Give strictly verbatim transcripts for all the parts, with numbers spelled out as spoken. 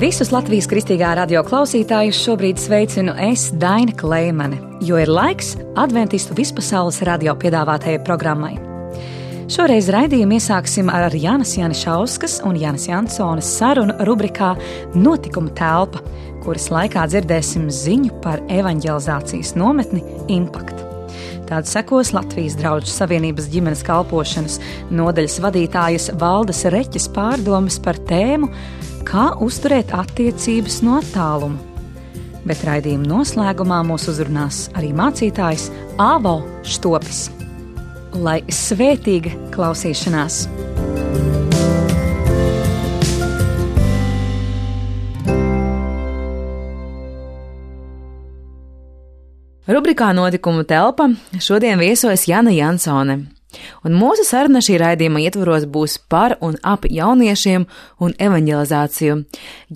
Visus Latvijas kristīgā radio klausītājus šobrīd sveicinu es, Daina Kleimane, jo ir laiks Adventistu vispasaules radio piedāvātajai programmai. Šoreiz raidījumu iesāksim ar Jānas Janišauskas un Jānas Jansonas sarunu rubrikā Notikuma telpa, kuras laikā dzirdēsim ziņu par evaņģelizācijas nometni Impact. Tāda sekos Latvijas Draugu Savienības ģimenes kalpošanas nodaļas vadītājas Valdes Reķes pārdomas par tēmu Kā uzturēt attiecības no attāluma. Bet raidījuma noslēgumā mūs uzrunās arī mācītājs Āvo Štopis. Lai svētīga klausīšanās! Rubrikā Notikuma telpa šodien viesojas Jāna Jansone. Un mūsu saruna šī raidījuma ietvaros būs par un ap jauniešiem un evaņģelizāciju.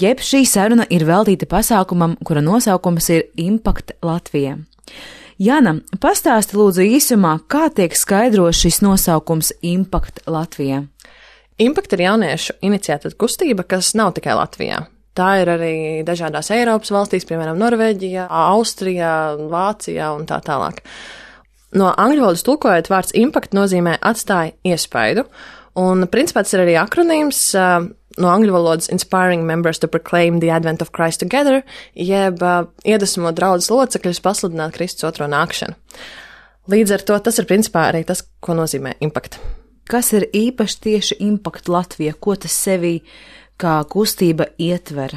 Jeb šī saruna ir veltīta pasākumam, kura nosaukums ir Impact Latvija. Jāna, pastāsti lūdzu īsumā, kā tiek skaidrots šis nosaukums Impact Latvija? Impact ir jauniešu iniciēta kustība, kas nav tikai Latvijā. Tā ir arī dažādās Eiropas valstīs, piemēram, Norvēģijā, Austrijā, Vācijā un tā tālāk. No angļu valodas tulkojot, vārds impact nozīmē atstāja iespaidu, un principā tas ir arī akronīms uh, no angļu valodas inspiring members to proclaim the advent of Christ together, jeb uh, iedvesmo draudzes locekļus pasludināt Kristus otro nākšanu. Līdz ar to tas ir principā arī tas, ko nozīmē impact. Kas ir īpaši tieši Impact Latvija? Ko tas sevī kā kustība ietver?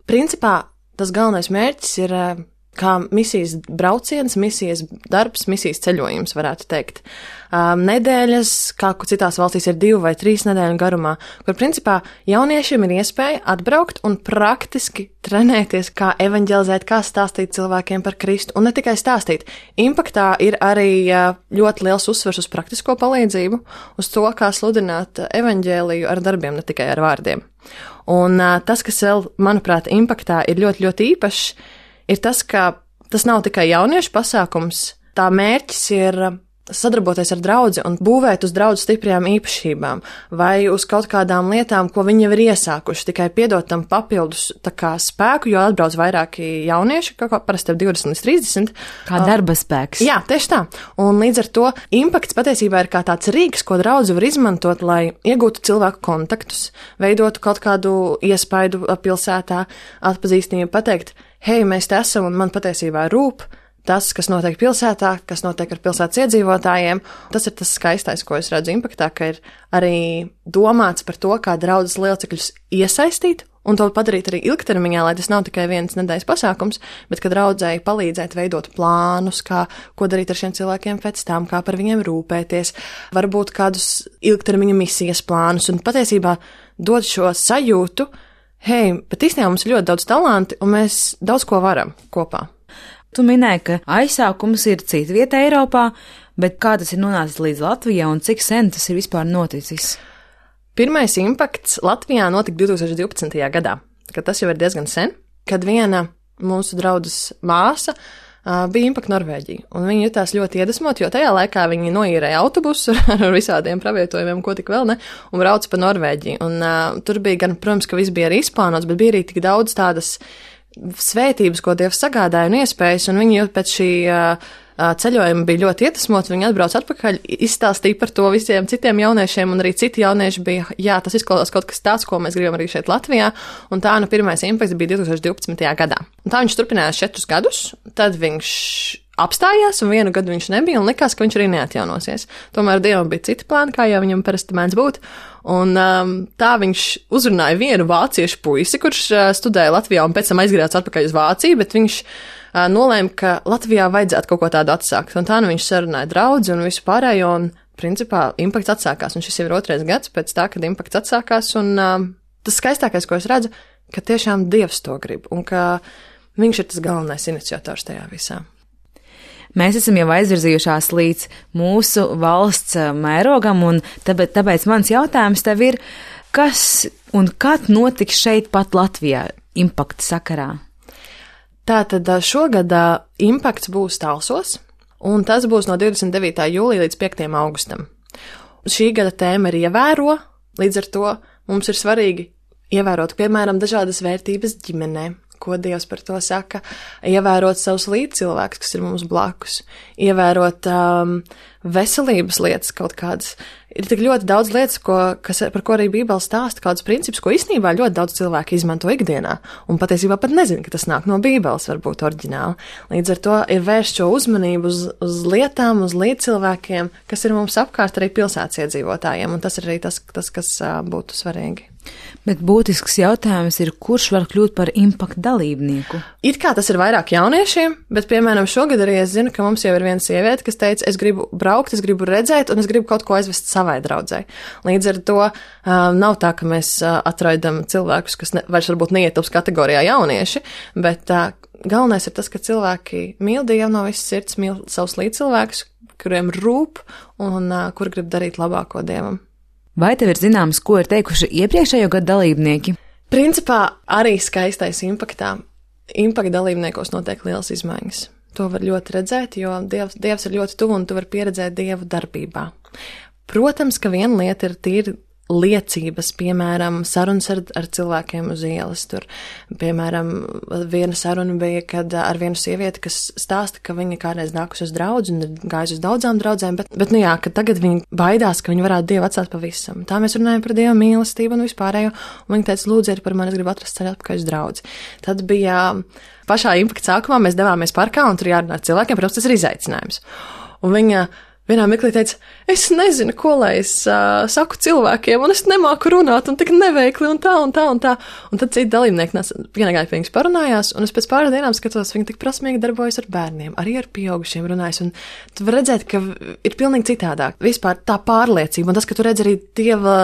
Principā tas galvenais mērķis ir uh, kā misijas brauciens, misijas darbs, misijas ceļojums, varētu teikt. Um, nedēļas, kā citās valstīs ir divu vai trīs nedēļu garumā, kur principā jauniešiem ir iespēja atbraukt un praktiski trenēties, kā evaņģelizēt, kā stāstīt cilvēkiem par Kristu, un ne tikai stāstīt. Impaktā ir arī ļoti liels uzsvers uz praktisko palīdzību, uz to, kā sludināt evaņģēliju ar darbiem, ne tikai ar vārdiem. Un uh, tas, kas vēl, manuprāt, Impaktā ir ļoti, ļoti īpašs, ir tas, ka tas nav tikai jauniešu pasākums, tā mērķis ir sadarboties ar draudzi un būvēt uz draudzi stiprajām īpašībām vai uz kaut kādām lietām, ko viņi jau ir iesākuši, tikai piedot tam papildus tā kā spēku, jo atbrauc vairāki jaunieši, kā parasti ap divdesmit līdz trīsdesmit. Kā darba spēks. Jā, tieši tā. Un līdz ar to impakts patiesībā ir kā tāds rīks, ko draudzi var izmantot, lai iegūtu cilvēku kontaktus, veidotu kaut kādu iespaidu pilsētā, atpazīstamību, pateikt, hei, mēs te esam un man patiesībā rūp tas, kas notiek pilsētā, kas notiek ar pilsētas iedzīvotājiem. Tas ir tas skaistais, ko es redzu Impaktā, ka ir arī domāts par to, kā draudzes locekļus iesaistīt un to padarīt arī ilgtermiņā, lai tas nav tikai viens nedēļas pasākums, bet ka draudzēji palīdzēt veidot plānus, kā, ko darīt ar šiem cilvēkiem pēc tam, kā par viņiem rūpēties, varbūt kādus ilgtermiņa misijas plānus un patiesībā dod šo sajūtu, hei, bet īstenībā mums ir ļoti daudz talanti un mēs daudz ko varam kopā. Tu minēji, ka aizsākums ir cita vieta Eiropā, bet kā tas ir nonācis līdz Latvijā un cik sen tas ir vispār noticis? Pirmais impakts Latvijā notika divi tūkstoši divpadsmitajā gadā, kad tas jau ir diezgan sen, kad viena mūsu draudzes māsa uh, bija Impact Norvēģija, un viņi jutās ļoti iedvesmot, jo tajā laikā viņi noīrēja autobusu ar visādiem pravietojumiem, ko tik vēl ne, un brauca pa Norvēģiju, un uh, tur bija gan, protams, ka viss bija arī izplānots, bet bija arī tik daudz tādas svētības, ko Dievs sagādāja un iespējas, un viņi pēc šī uh, ceļojuma bija ļoti iedvesmoti, viņi atbrauc atpakaļ, izstāstīja par to visiem citiem jauniešiem, un arī citi jaunieši bija, jā, tas izklausās kaut kas tāds, ko mēs gribam arī šeit Latvijā, un tā nu pirmais impakts bija divi tūkstoši divpadsmitajā gadā. Un tā viņš turpinājās četrus gadus, tad viņš apstājās, un vienu gadu viņš nebija, un likās, ka viņš arī neatjaunosies. Tomēr Dievam bija citi plāni, kā jau viņam parasti mēdz būt, un um, tā viņš uzrunāja vienu vāciešu puisi, kurš uh, studēja Latvijā un pēc tam aizgrājās atpakaļ uz Vāciju, bet viņš uh, nolēma, ka Latvijā vajadzētu kaut ko tādu atsākt, un tā nu viņš sarunāja draudzi un visu pārējo, un principā impakts atsākās, un šis jau ir otrais gads pēc tā, kad impakts atsākās, un um, tas skaistākais, ko es redzu, ka tiešām Dievs to grib, un ka viņš ir tas galvenais iniciators tajā visā. Mēs esam jau aizvirzījušās līdz mūsu valsts mērogam, un tāpēc, tāpēc mans jautājums tev ir, kas un kad notiks šeit pat Latvijā Impact sakarā? Tātad šogad Impakts būs Talsos, un tas būs no divdesmit devītā jūlija līdz piektajam augustam. Šī gada tēma ir ievēro, līdz ar to mums ir svarīgi ievērot, piemēram, dažādas vērtības ģimenē, ko Dievs par to saka, ievērot savus līdzcilvēkus, kas ir mums blakus, ievērot um, veselības lietas kaut kādas. Ir tik ļoti daudz lietas, ko, kas, par ko arī Bībele stāsta, kādus principus, ko īstenībā ļoti daudz cilvēku izmanto ikdienā, un patiesībā pat nezina, ka tas nāk no Bībeles, varbūt oriģināli. Līdz ar to ir vērst šo uzmanību uz, uz lietām, uz līdzcilvēkiem, kas ir mums apkārt arī pilsētas iedzīvotājiem, un tas ir arī tas, tas kas uh, būtu svarīgi. Bet būtisks jautājums ir, kurš var kļūt par impaktu dalībnieku? It kā tas ir vairāk jauniešiem, bet, piemēram, šogad arī es zinu, ka mums jau ir viena sieviete, kas teica, es gribu braukt, es gribu redzēt, un es gribu kaut ko aizvest savai draudzei. Līdz ar to uh, nav tā, ka mēs uh, atraidam cilvēkus, kas ne, vairs varbūt neietilps kategorijā jaunieši, bet uh, galvenais ir tas, ka cilvēki mīl Dievu no visas sirds, mīl savus līdzcilvēkus, kuriem rūp un uh, kur grib darīt labāko Dievam. Vai tev ir zināms, ko ir teikuši iepriekšējo gadu dalībnieki? Principā arī skaistais impaktā. Impakta dalībniekos notiek liels izmaiņas. To var ļoti redzēt, jo Dievs, Dievs ir ļoti tuvu un tu vari pieredzēt Dievu darbībā. Protams, ka viena lieta ir tīri liecības, piemēram, sarunas ar, ar cilvēkiem uz ielas. Tur, piemēram, viena saruna bija, kad ar vienu sievieti, kas stāsta, ka viņa kādreiz nākus uz draudzi un ir gājusi uz daudzām draudzēm, bet, bet, nu jā, ka tagad viņa baidās, ka viņa varētu Dievu atstāt pavisam. Tā mēs runājam par Dieva mīlestību un vispārējo, un viņa teica, lūdziet par mani, es gribu atrast ceļu atpakaļ uz draudzi. Tad bija pašā impakta sākumā, mēs devāmies parkā, un tur jārunā ar cilvēkiem, protams, tas ir izaicinājums. Un viņa vienā mirklī teica, es nezinu, ko lai es uh, saku cilvēkiem, un es nemāku runāt, un tik neveikli, un tā, un tā, un tā. Un tad citi dalībnieki pienāgāja pie viņas parunājās, un es pēc pāris dienām skatos, viņi tik prasmīgi darbojas ar bērniem, arī ar pieaugušiem runājas, un tu var redzēt, ka ir pilnīgi citādāk. Vispār tā pārliecība, un tas, ka tu redz arī Dieva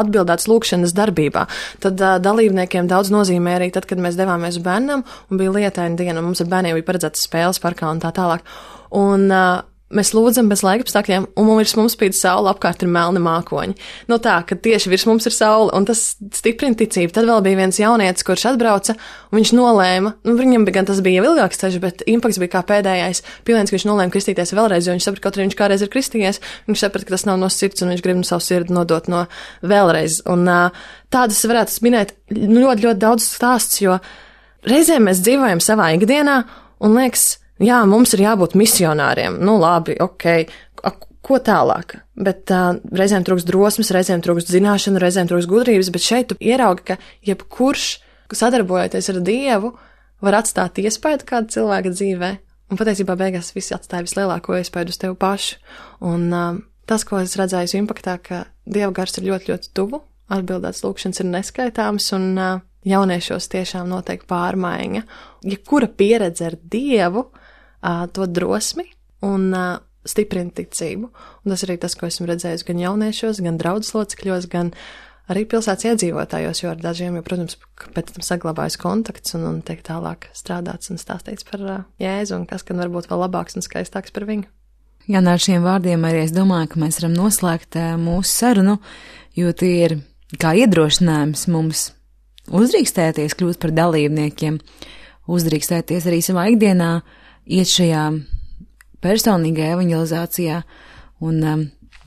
atbildētas lūkšanas darbībā, tad uh, dalībniekiem daudz nozīmē arī tad, kad mēs devāmies uz bērnam, un bija lietaina diena, un mums ar bērniem bija paredzētas spēles parkā un tā tālāk. Un, uh, Mēs lūdzam bez laikapstākļiem, un virs mums spīd saule, apkārt ir melni mākoņi. No tā, ka tieši virs mums ir saule, un tas stiprina ticību. Tad vēl bija viens jaunietis, kurš atbrauca, un viņš nolēma, nu, viņam bija gan tas bija ilgāks ceļš, bet impakts bija kā pēdējais piliens, ka viņš nolēma kristīties vēlreiz, jo viņš saprata, kaut arī viņš kādreiz ir kristījies, viņš saprata, ka tas nav no sirds, un viņš grib no savu sirdi nodot no vēlreiz. Un tādas varētu minēt ļoti, ļoti daudz stāsts, jo reizēm mēs dzīvojam savā ikdienā, un liekas, jā, mums ir jābūt misionāriem. Nu, labi, ok, ko tālāk? Bet uh, reizēm trūkst drosmes, reizēm trūkst zināšanu, reizēm trūkst gudrības, bet šeit tu ieraugi, ka jebkurš, sadarbojoties ar Dievu, var atstāt iespaidu kāda cilvēka dzīvē. Un patiesībā beigās visi atstāja vislielāko iespaidu uz tevi pašu. Un uh, tas, ko es redzēju impaktā, ka Dieva gars ir ļoti, ļoti tuvu, atbildēts lūkšanas ir neskaitāms, un uh, jauniešos tiešām notiek pārmaiņa. Ja kura pieredze ar Dievu, Uh, to drosmi un uh, stiprina ticību. Un tas arī tas, ko esmu redzējis gan jauniešos, gan draudzes locekļos, gan arī pilsētas iedzīvotājos, jo ar dažiem, jo, protams, pēc tam saglabājas kontakts un, un tiek tālāk strādāts un stāstīts par uh, Jēzu un kas, gan varbūt vēl labāks un skaistāks par viņu. Jā, ar šiem vārdiem arī es domāju, ka mēs varam noslēgt uh, mūsu sarunu, jo tie ir kā iedrošinājums mums uzdrīkstēties kļūt par dalībniekiem, uzdrīkstēties arī savā ikdienā, iet šajā personīgajā evanģelizācijā un, um,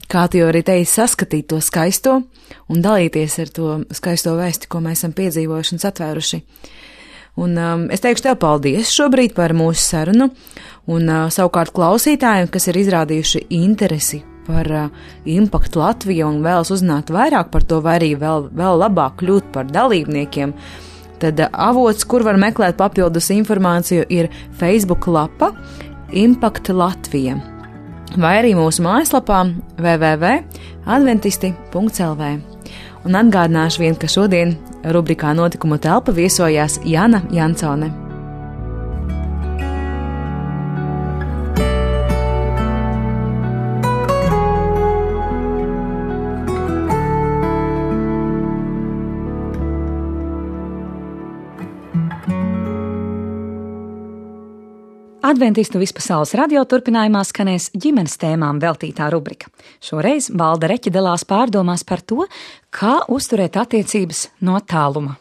kā tu jau arī teici, saskatīt to skaisto un dalīties ar to skaisto vēsti, ko mēs esam piedzīvojuši un satvēruši. Un um, es teikšu tev paldies šobrīd par mūsu sarunu un uh, savukārt klausītājiem, kas ir izrādījuši interesi par uh, impaktu Latviju un vēlas uzzināt vairāk par to, vai arī vēl, vēl labāk kļūt par dalībniekiem. Tad avots, kur var meklēt papildus informāciju, ir Facebook lapa Impakta Latvija vai arī mūsu mājaslapā w w w punkt adventisti punkt l v. Un atgādināšu vien, ka šodien rubrikā Notikumu telpa viesojās Jana Jansone. Adventistu vispasaules radio turpinājumā skanēs ģimenes tēmām veltītā rubrika. Šoreiz Valda Reķe dalās pārdomās par to, kā uzturēt attiecības no tāluma.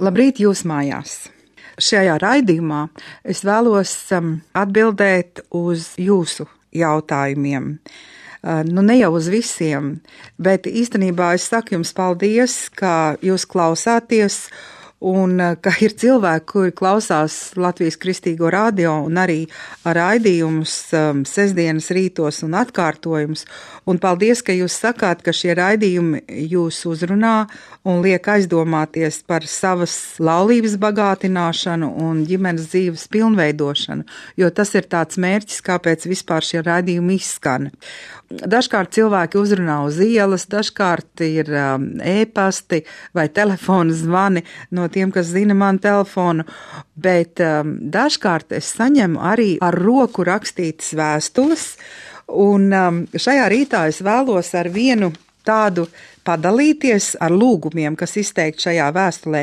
Labrīt jūs mājās! Šajā raidījumā es vēlos um, atbildēt uz jūsu jautājumiem. Uh, nu, ne jau uz visiem, bet īstenībā es saku jums paldies, ka jūs klausāties un uh, ka ir cilvēki, kuri klausās Latvijas Kristīgo radio un arī raidījumus um, sestdienas rītos un atkārtojumus. Un paldies, ka jūs sakāt, ka šie raidījumi jūs uzrunā un liek aizdomāties par savas laulības bagātināšanu un ģimenes dzīves pilnveidošanu, jo tas ir tāds mērķis, kāpēc vispār šie raidījumi izskan. Dažkārt cilvēki uzrunā uz ielas, dažkārt ir um, e-pasti vai telefona zvani no tiem, kas zina manu telefonu, bet um, dažkārt es saņemu arī ar roku rakstītas vēstules, un um, šajā rītā es vēlos ar vienu tādu padalīties ar lūgumiem, kas izteikti šajā vēstulē.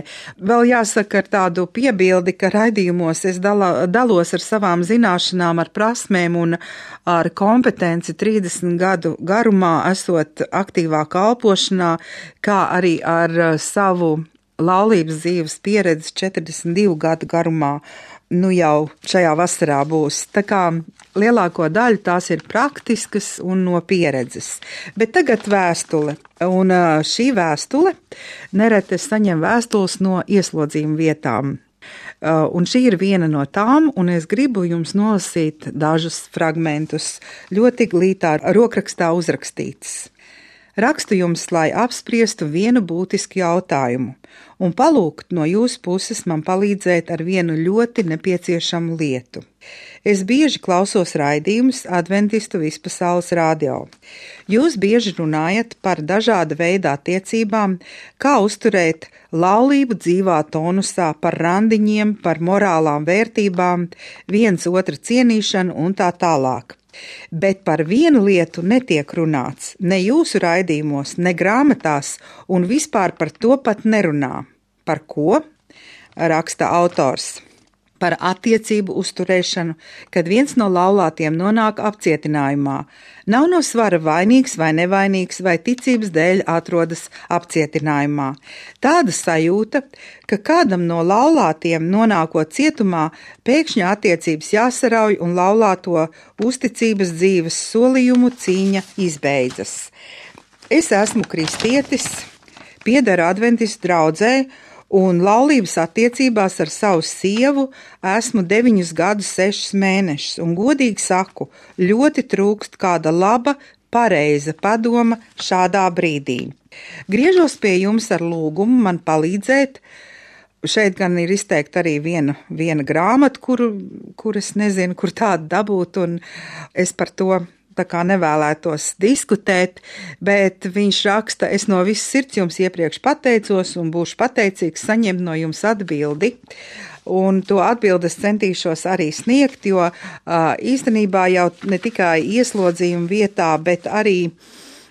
Vēl jāsaka ar tādu piebildi, ka raidījumos es dala, dalos ar savām zināšanām, ar prasmēm un ar kompetenci trīsdesmit gadu garumā esot aktīvā kalpošanā, kā arī ar savu laulības dzīves pieredzi četrdesmit divu gadu garumā. Nu jau šajā vasarā būs. Tā kā lielāko daļu tās ir praktiskas un no pieredzes. Bet tagad vēstule. Un šī vēstule nereti es saņemu vēstules no ieslodzījuma vietām. Un šī ir viena no tām, un es gribu jums nolasīt dažus fragmentus, ļoti glītā rokrakstā uzrakstīts. Rakstu jums, lai apspriestu vienu būtisku jautājumu un palūgt no jūsu puses man palīdzēt ar vienu ļoti nepieciešamu lietu. Es bieži klausos raidījumus Adventistu vispasaules radio. Jūs bieži runājat par dažāda veida attiecībām, kā uzturēt laulību dzīvā tonusā, par randiņiem, par morālām vērtībām, viens otra cienīšanu un tā tālāk. Bet par vienu lietu netiek runāts, ne jūsu raidījumos, ne grāmatās, un vispār par to pat nerunā. Par ko? Raksta autors. Par attiecību uzturēšanu, kad viens no laulātiem nonāk apcietinājumā. Nav no svara vainīgs vai nevainīgs, vai ticības dēļ atrodas apcietinājumā. Tāda sajūta, ka kādam no laulātiem nonākot cietumā, pēkšņi attiecības jāsarauj un laulāto uzticības dzīves solījumu cīņa izbeidzas. Es esmu kristietis, piederu adventistu draudzē, un laulības attiecībās ar savu sievu esmu deviņus gadus, sešus mēnešus, un godīgi saku, ļoti trūkst kāda laba, pareiza padoma šādā brīdī. Griežos pie jums ar lūgumu man palīdzēt. Šeit gan ir izteikta arī viena, viena grāmata, kuru, kur es nezinu, kur tādu dabūt, un es par to tā kā nevēlētos diskutēt, bet viņš raksta, es no visas sirds jums iepriekš pateicos un būšu pateicīgs saņemt no jums atbildi. Un to atbildes centīšos arī sniegt, jo uh, īstenībā jau ne tikai ieslodzījuma vietā, bet arī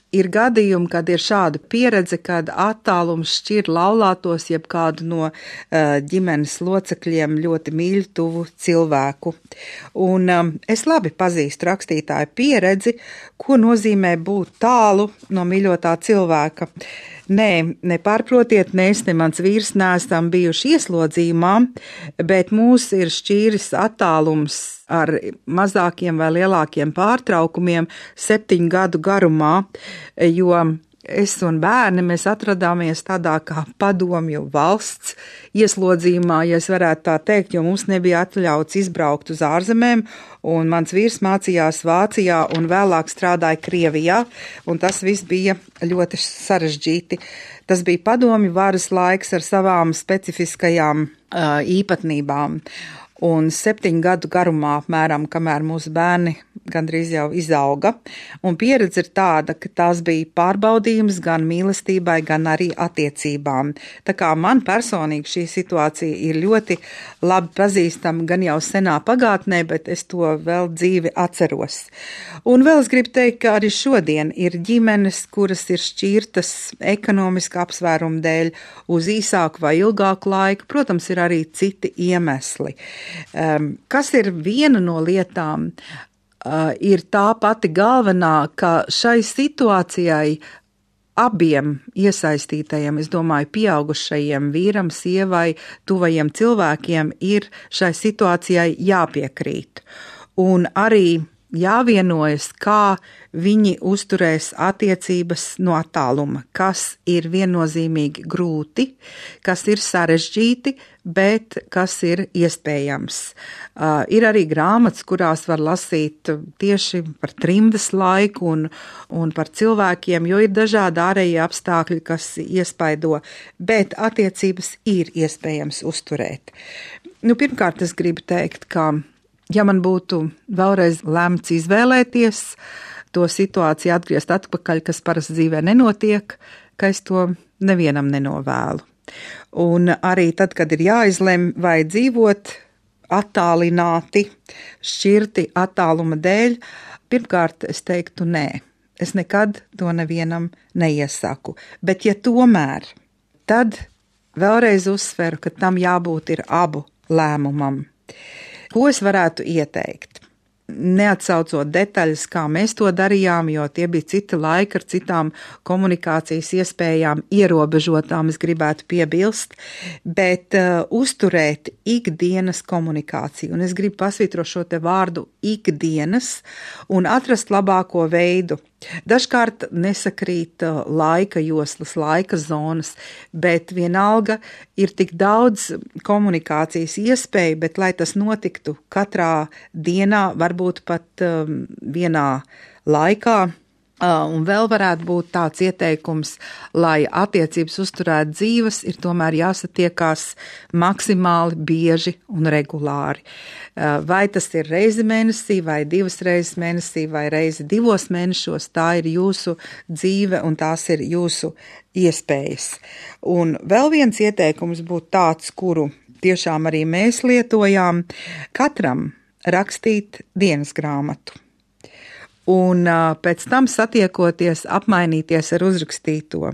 ir gadījumi, kad ir šāda pieredze, kad attālums šķir laulātos jeb kādu no uh, ģimenes locekļiem ļoti mīļu tuvu cilvēku. Un um, es labi pazīstu rakstītāju pieredzi, ko nozīmē būt tālu no mīļotā cilvēka. Nē, nepārprotiet, mēs, ne mans vīrs neesam bijuši ieslodzījumā, bet mūs ir šķīris attālums ar mazākiem vai lielākiem pārtraukumiem septiņu gadu garumā, jo es un bērni, mēs atradāmies tādā kā padomju valsts ieslodzījumā, ja es varētu tā teikt, jo mums nebija atļauts izbraukt uz ārzemēm, un mans vīrs mācījās Vācijā un vēlāk strādāja Krievijā, un tas viss bija ļoti sarežģīti. Tas bija padomju varas laiks ar savām specifiskajām uh, īpatnībām. Un septiņu gadu garumā apmēram, kamēr mūsu bērni gandrīz jau izauga, un pieredze ir tāda, ka tās bija pārbaudījums gan mīlestībai, gan arī attiecībām. Tā kā man personīgi šī situācija ir ļoti labi pazīstama gan jau senā pagātnē, bet es to vēl dzīvi atceros. Un vēl es gribu teikt, ka arī šodien ir ģimenes, kuras ir šķirtas ekonomiska apsvērumu dēļ uz īsāku vai ilgāku laiku. Protams, ir arī citi iemesli. Um, kas ir viena no lietām, uh, ir tā pati galvenā, ka šai situācijai abiem iesaistītajiem, es domāju, pieaugušajiem vīram, sievai, tuvajiem cilvēkiem ir šai situācijai jāpiekrīt. Un arī jāvienojas, kā viņi uzturēs attiecības no attāluma, kas ir viennozīmīgi grūti, kas ir sarežģīti, bet kas ir iespējams. Uh, ir arī grāmatas, kurās var lasīt tieši par trimdas laiku un, un par cilvēkiem, jo ir dažādi ārējie apstākļi, kas iespaido, bet attiecības ir iespējams uzturēt. Nu, pirmkārt, es gribu teikt, ka ja man būtu vēlreiz lemts izvēlēties to situāciju atgriezt atpakaļ, kas parasti dzīvē nenotiek, ka es to nevienam nenovēlu. Un arī tad, kad ir jāizlem vai dzīvot attālināti, šķirti attāluma dēļ, pirmkārt es teiktu nē. Es nekad to nevienam neiesaku. Bet ja tomēr, tad vēlreiz uzsveru, ka tam jābūt ir abu lēmumam. Ko es varētu ieteikt? Neatsaucot detaļas, kā mēs to darījām, jo tie bija citi laiki ar citām komunikācijas iespējām, ierobežotām, es gribētu piebilst, bet uh, uzturēt ikdienas komunikāciju. Un es gribu pasvītrot šo te vārdu ikdienas un atrast labāko veidu. Dažkārt nesakrīt laika joslas, laika zonas, bet vienalga ir tik daudz komunikācijas iespēju, bet lai tas notiktu katrā dienā, varbūt pat um, vienā laikā. Uh, un vēl varētu būt tāds ieteikums, lai attiecības uzturētu dzīves, ir tomēr jāsatiekās maksimāli bieži un regulāri. Uh, vai tas ir reizi mēnesī, vai divas reizes mēnesī, vai reizi divos mēnešos, tā ir jūsu dzīve un tās ir jūsu iespējas. Un vēl viens ieteikums būtu tāds, kuru tiešām arī mēs lietojām, katram rakstīt dienas grāmatu. Un uh, pēc tam satiekoties, apmainīties ar uzrakstīto.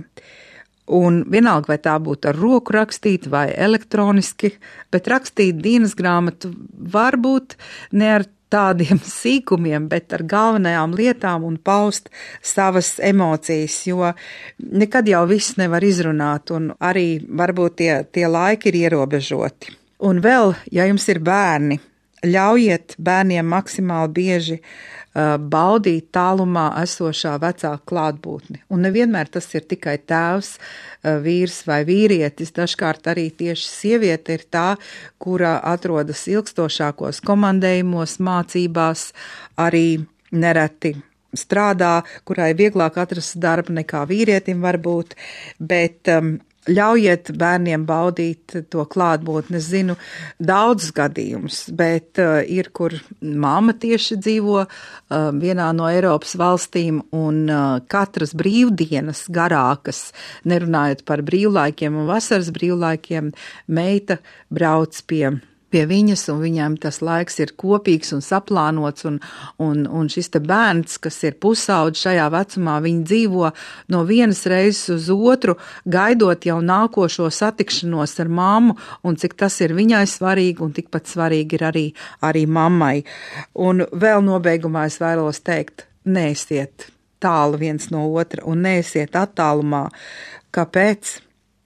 Un vienalga, vai tā būtu ar roku rakstīt vai elektroniski, bet rakstīt dienas grāmatu varbūt ne ar tādiem sīkumiem, bet ar galvenajām lietām un paust savas emocijas, jo nekad jau viss nevar izrunāt un arī varbūt tie, tie laiki ir ierobežoti. Un vēl, ja jums ir bērni, ļaujiet bērniem maksimāli bieži uh, baudīt tālumā esošā vecāka klātbūtni. Un nevienmēr tas ir tikai tēvs, uh, vīrs vai vīrietis, dažkārt arī tieši sieviete ir tā, kura atrodas ilgstošākos komandējumos, mācībās, arī nereti strādā, kurai vieglāk atrast darbu nekā vīrietim varbūt, bet um, ļaujiet bērniem baudīt to klātbūtni. Es zinu daudzus gadījumus, bet uh, ir, kur mamma tieši dzīvo uh, vienā no Eiropas valstīm un uh, katras brīvdienas garākas, nerunājot par brīvlaikiem un vasaras brīvlaikiem, meita brauc pie pie viņas, un viņam tas laiks ir kopīgs un saplānots, un, un, un šis te bērns, kas ir pusaudži šajā vecumā, viņi dzīvo no vienas reizes uz otru, gaidot jau nākošo satikšanos ar mammu, un cik tas ir viņai svarīgi, un tikpat svarīgi ir arī, arī mammai. Un vēl nobeigumā es vēlos teikt, neesiet tālu viens no otra, un neesiet attālumā. Kāpēc?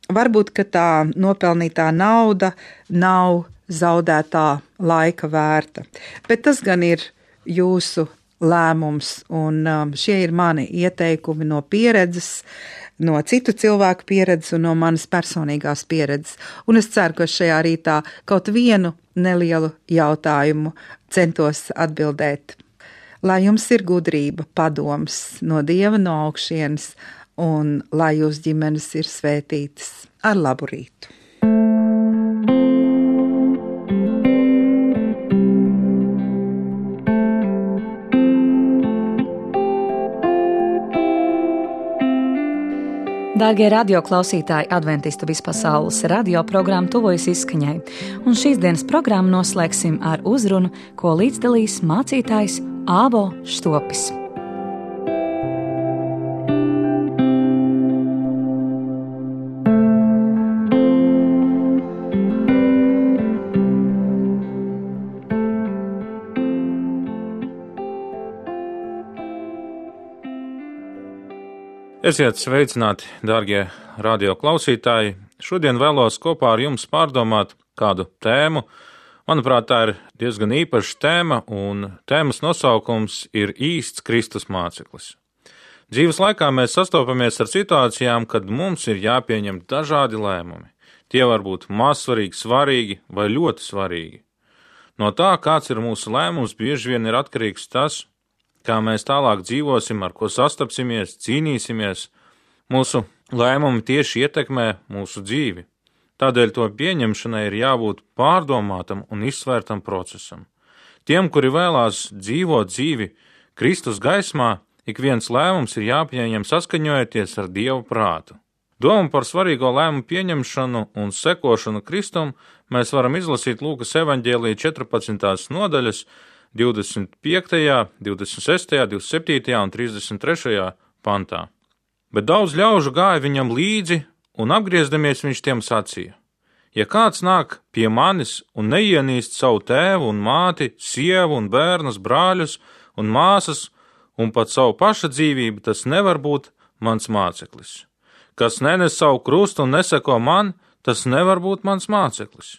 Varbūt, ka tā nopelnītā nauda nav zaudētā laika vērta. Bet tas gan ir jūsu lēmums, un um, šie ir mani ieteikumi no pieredzes, no citu cilvēku pieredzes un no manas personīgās pieredzes. Un es ceru, ka šajā rītā kaut vienu nelielu jautājumu centos atbildēt. Lai jums ir gudrība, padoms no Dieva no augšienes, un lai jūs ģimenes ir svētītas ar labu rītu. Dārgie radioklausītāji, Adventistu vispasaules radio programma tuvojas izskaņai, un šīs dienas programmu noslēgsim ar uzrunu, ko līdzdalīs mācītājs Āvo Štopis. Esiet sveicināti, dārgie radio klausītāji. Šodien vēlos kopā ar jums pārdomāt kādu tēmu. Manuprāt, tā ir diezgan īpaša tēma, un tēmas nosaukums ir īsts Kristus māceklis. Dzīves laikā mēs sastopamies ar situācijām, kad mums ir jāpieņem dažādi lēmumi. Tie var būt mazsvarīgi, svarīgi vai ļoti svarīgi. No tā, kāds ir mūsu lēmums, bieži vien ir atkarīgs tas, kā mēs tālāk dzīvosim, ar ko sastapsimies, cīnīsimies. Mūsu lēmumi tieši ietekmē mūsu dzīvi. Tādēļ to pieņemšanai ir jābūt pārdomātam un izsvērtam procesam. Tiem, kuri vēlās dzīvot dzīvi Kristus gaismā, ik viens lēmums ir jāpieņem saskaņojoties ar Dieva prātu. Domu par svarīgo lēmumu pieņemšanu un sekošanu Kristum mēs varam izlasīt Lūkas evaņģēlija četrpadsmitās nodaļas divdesmit piektajā, divdesmit sestajā, divdesmit septītajā un trīsdesmit trešajā pantā. Bet daudz ļaužu gāja viņam līdzi, un apgriezdamies viņš tiem sacīja: ja kāds nāk pie manis un neienīst savu tēvu un māti, sievu un bērnus, brāļus un māsas, un pat savu paša dzīvību, tas nevar būt mans māceklis. Kas nenes savu krustu un neseko man, tas nevar būt mans māceklis.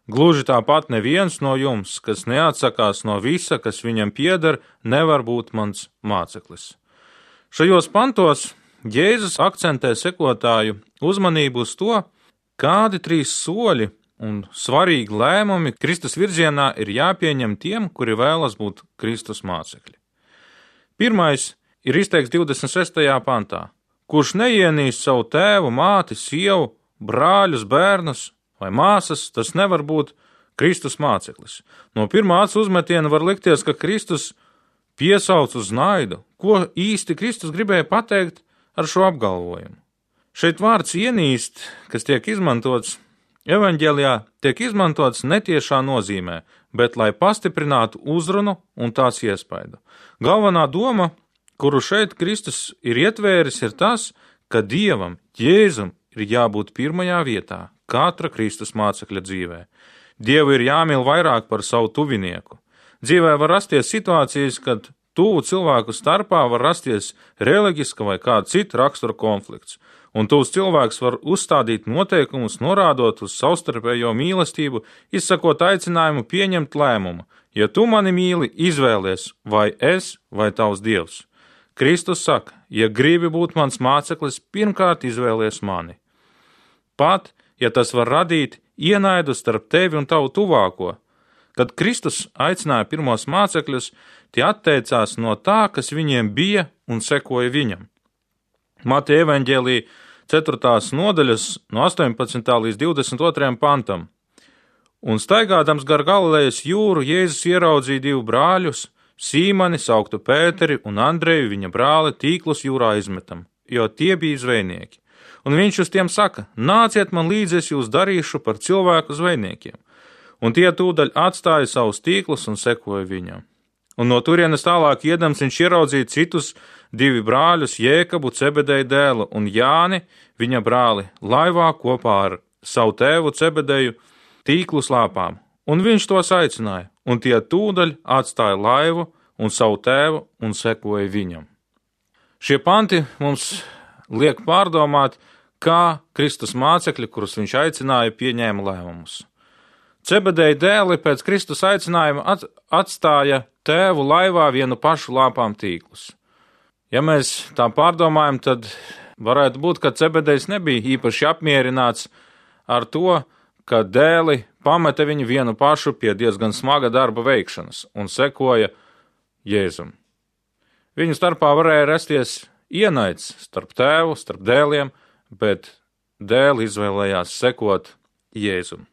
Gluži tāpat neviens no jums, kas neatsakās no visa, kas viņam pieder, nevar būt mans māceklis. Šajos pantos Jēzus akcentē sekotāju uzmanību uz to, kādi trīs soļi un svarīgi lēmumi Kristus virzienā ir jāpieņem tiem, kuri vēlas būt Kristus mācekļi. Pirmais ir izteikts divdesmit sestajā pantā: kurš neienīst savu tēvu, māti, sievu, brāļus, bērnus vai māsas, tas nevar būt Kristus māceklis. No pirmā acu uzmetiena var likties, ka Kristus piesauc uz naidu. Ko īsti Kristus gribēja pateikt ar šo apgalvojumu? Šeit vārds ienīst, kas tiek izmantots evaņģēlijā, tiek izmantots netiešā nozīmē, bet lai pastiprinātu uzrunu un tās iespaidu. Galvenā doma, kuru šeit Kristus ir ietvēris, ir tas, ka Dievam, Jēzum, ir jābūt pirmajā vietā katra Kristus mācekļa dzīvē. Dievu ir jāmīl vairāk par savu tuvinieku. Dzīvē var rasties situācijas, kad tuvu cilvēku starpā var rasties reliģiska vai kāda cita rakstura konflikts, un tuvs cilvēks var uzstādīt noteikumus, norādot uz savstarpējo mīlestību, izsakot aicinājumu pieņemt lēmumu: ja tu mani mīli, izvēlies vai es vai tavs Dievs. Kristus saka: ja gribi būt mans māceklis, pirmkārt izvēlies mani. Pat, ja tas var radīt ienaidu starp tevi un tavu tuvāko. Kad Kristus aicināja pirmos mācekļus, tie atteicās no tā, kas viņiem bija, un sekoja viņam. Mateja evaņģēlija ceturtās nodaļas no astoņpadsmitā līdz divdesmit otrajam pantam. Un staigādams gar Galilejas jūru, Jēzus ieraudzīja divu brāļus, Sīmani, sauktu Pēteri, un Andreju, viņa brāli, tīklus jūrā izmetam, jo tie bija zvejnieki. Un viņš uz tiem saka: nāciet man līdzi, es jūs darīšu par cilvēku zvejniekiem. Un tie tūdaļ atstāja savus tīklus un sekoja viņam. Un no turienes tālāk iedams viņš ieraudzīja citus divi brāļus, Jēkabu, Cebedeja dēlu, un Jāni, viņa brāli, laivā kopā ar savu tēvu Cebedeju tīklu slāpām. Un viņš tos aicināja, un tie tūdaļ atstāja laivu un savu tēvu un sekoja viņam. Šie panti mums liek pārdomāt, kā Kristus mācekļi, kurus viņš aicināja, pieņēma lēmumus. Cebedeja dēli pēc Kristus aicinājuma atstāja tēvu laivā vienu pašu lāpām tīklus. Ja mēs tā pārdomājam, tad varētu būt, ka Cebedejs nebija īpaši apmierināts ar to, ka dēli pameta viņu vienu pašu pie diezgan smaga darba veikšanas un sekoja Jēzum. Viņu starpā varēja rasties ienaids starp tēvu, starp dēliem, bet dēli izvēlējās sekot Jēzum.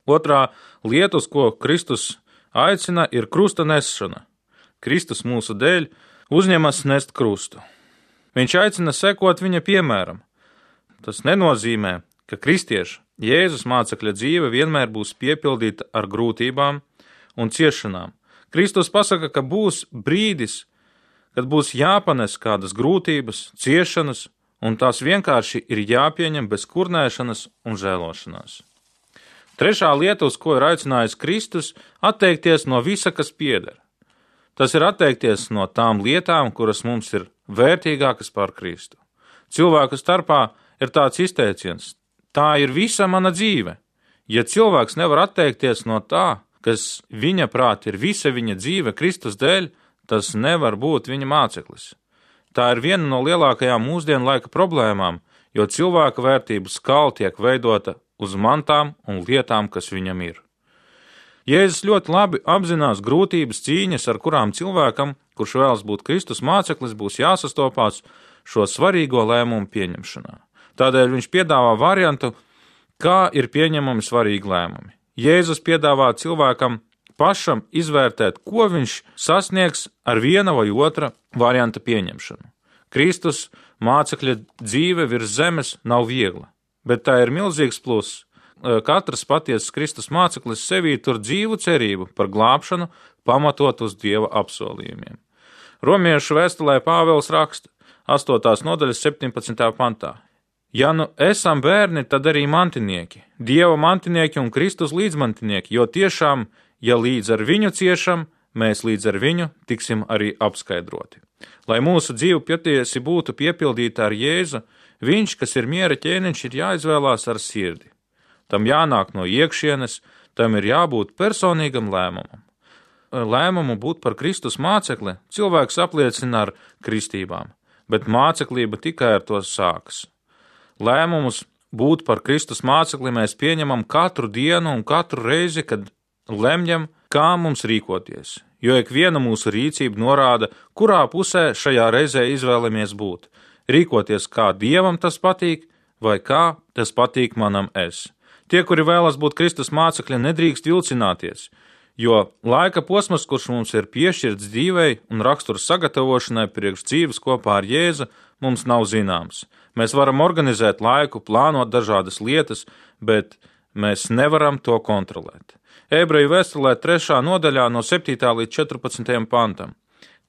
Otrā lieta, uz ko Kristus aicina, ir krusta nesšana. Kristus mūsu dēļ uzņemas nest krustu. Viņš aicina sekot viņa piemēram. Tas nenozīmē, ka kristieša Jēzus mācekļa dzīve vienmēr būs piepildīta ar grūtībām un ciešanām. Kristus pasaka, ka būs brīdis, kad būs jāpanes kādas grūtības, ciešanas, un tās vienkārši ir jāpieņem bez kurnēšanas un žēlošanās. Trešā lieta, uz ko ir aicinājis Kristus, atteikties no visa, kas pieder. Tas ir atteikties no tām lietām, kuras mums ir vērtīgākas par Kristu. Cilvēku starpā ir tāds izteiciens: tā ir visa mana dzīve. Ja cilvēks nevar atteikties no tā, kas viņa prāt ir visa viņa dzīve Kristus dēļ, tas nevar būt viņa māceklis. Tā ir viena no lielākajām mūsdienu laika problēmām, jo cilvēka vērtību skala tiek veidota uz mantām un lietām, kas viņam ir. Jēzus ļoti labi apzinās grūtības cīņas, ar kurām cilvēkam, kurš vēlas būt Kristus māceklis, būs jāsastopās šo svarīgo lēmumu pieņemšanā. Tādēļ viņš piedāvā variantu, kā ir pieņemami svarīgi lēmumi. Jēzus piedāvā cilvēkam pašam izvērtēt, ko viņš sasniegs ar viena vai otra varianta pieņemšanu. Kristus mācekļa dzīve virs zemes nav viegla, bet tā ir milzīgs pluss. Katrs patiesas Kristus māceklis sevī tur dzīvu cerību par glābšanu, pamatot uz Dieva apsolījumiem. Romiešu vēstulē Pāvils raksta astotās nodaļas septiņpadsmitajā pantā: ja nu esam bērni, tad arī mantinieki, Dieva mantinieki un Kristus līdzmantinieki, jo tiešām, ja līdz ar viņu ciešam, mēs līdz ar viņu tiksim arī apskaidroti. Lai mūsu dzīve patiesi būtu piepildīta ar Jēzu, viņš, kas ir miera ķēniņš, ir jāizvēlās ar sirdi. Tam jānāk no iekšienes, tam ir jābūt personīgam lēmumam. Lēmumu būt par Kristus mācekli cilvēks apliecina ar kristībām, bet māceklība tikai ar to sākas. Lēmumus būt par Kristus mācekli mēs pieņemam katru dienu un katru reizi, kad lemjam, kā mums rīkoties, jo ikviena mūsu rīcība norāda, kurā pusē šajā reizē izvēlamies būt. Rīkoties, kā Dievam tas patīk, vai kā tas patīk manam es. Tie, kuri vēlas būt Kristus mācekļi, nedrīkst vilcināties, jo laika posms, kurš mums ir piešķirts dzīvei un rakstura sagatavošanai priekš dzīves kopā ar Jēzu, mums nav zināms. Mēs varam organizēt laiku, plānot dažādas lietas, bet mēs nevaram to kontrolēt. Ebreju vēstulē trešā nodaļā no septītā līdz četrpadsmitajam pantam.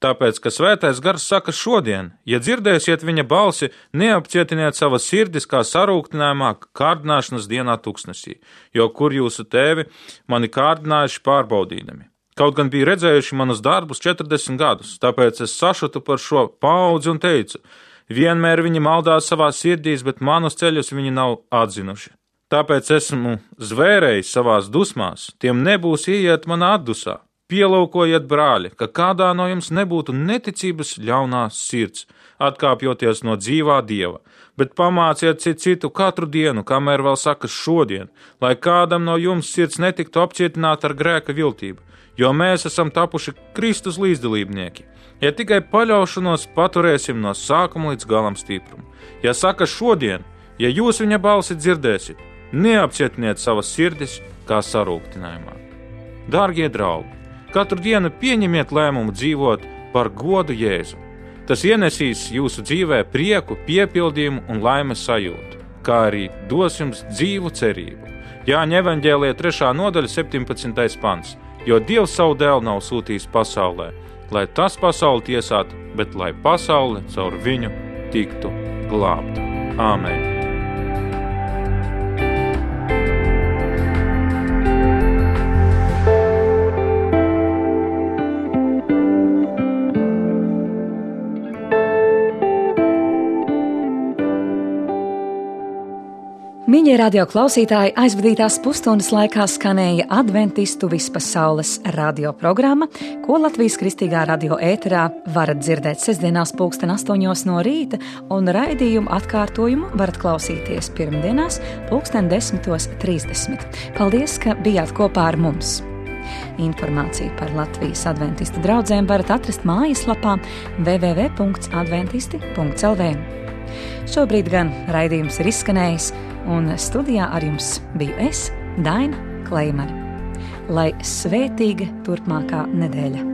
Tāpēc, ka svētais gars saka šodien, ja dzirdēsiet viņa balsi, neapcietiniet savas sirdis kā sarūktinājumā kārdināšanas dienā tuksnesī, jo kur jūsu tēvi mani kārdinājuši pārbaudīdami. Kaut gan bija redzējuši manus darbus četrdesmit gadus, tāpēc es sašutu par šo paudzi un teicu, vienmēr viņi maldās savās sirdīs, bet manus ceļus viņi nav atzinuši. Tāpēc esmu zvērējis savās dusmās, tiem nebūs ieiet manā atdusā. Pielūkojiet, brāļi, ka kādā no jums nebūtu neticības ļaunās sirds, atkāpjoties no dzīvā Dieva, bet pamāciet citu citu katru dienu, kamēr vēl saka šodien, lai kādam no jums sirds netiktu apcietināta ar grēka viltību, jo mēs esam tapuši Kristus līdzdalībnieki. Ja tikai paļaušanos paturēsim no sākuma līdz galam stiprumu. Ja saka šodien, ja jūs viņa balsi dzirdēsiet, neapcietiniet savas sirdis kā sarūktinājumā. Dārgie draugi, katru dienu pieņemiet lēmumu dzīvot par godu Jēzu. Tas ienesīs jūsu dzīvē prieku, piepildījumu un laimes sajūtu, kā arī dos jums dzīvu cerību. Jāņa evaņģēlijā trešā nodaļa septiņpadsmitais pants, jo Dievs savu dēlu nav sūtījis pasaulē, lai tas pasauli tiesātu, bet lai pasaule caur viņu tiktu glābta. Āmen. Mīļie radio klausītāji, aizvadītās pusstundas laikā skanēja Adventistu vispasaules radioprogramma, ko Latvijas Kristīgā radio ēterā varat dzirdēt sestdienās pulksten astoņos no rīta, un raidījumu atkārtojumu varat klausīties pirmdienās pulksten desmitos trīsdesmit. Paldies, ka bijāt kopā ar mums! Informāciju par Latvijas adventistu draudzēm varat atrast mājaslapā w w w punkts adventisti punkts l v. Šobrīd gan raidījums ir izskanējis, un studijā ar jums biju es, Daina Kleimane. Lai svētīga turpmākā nedēļa!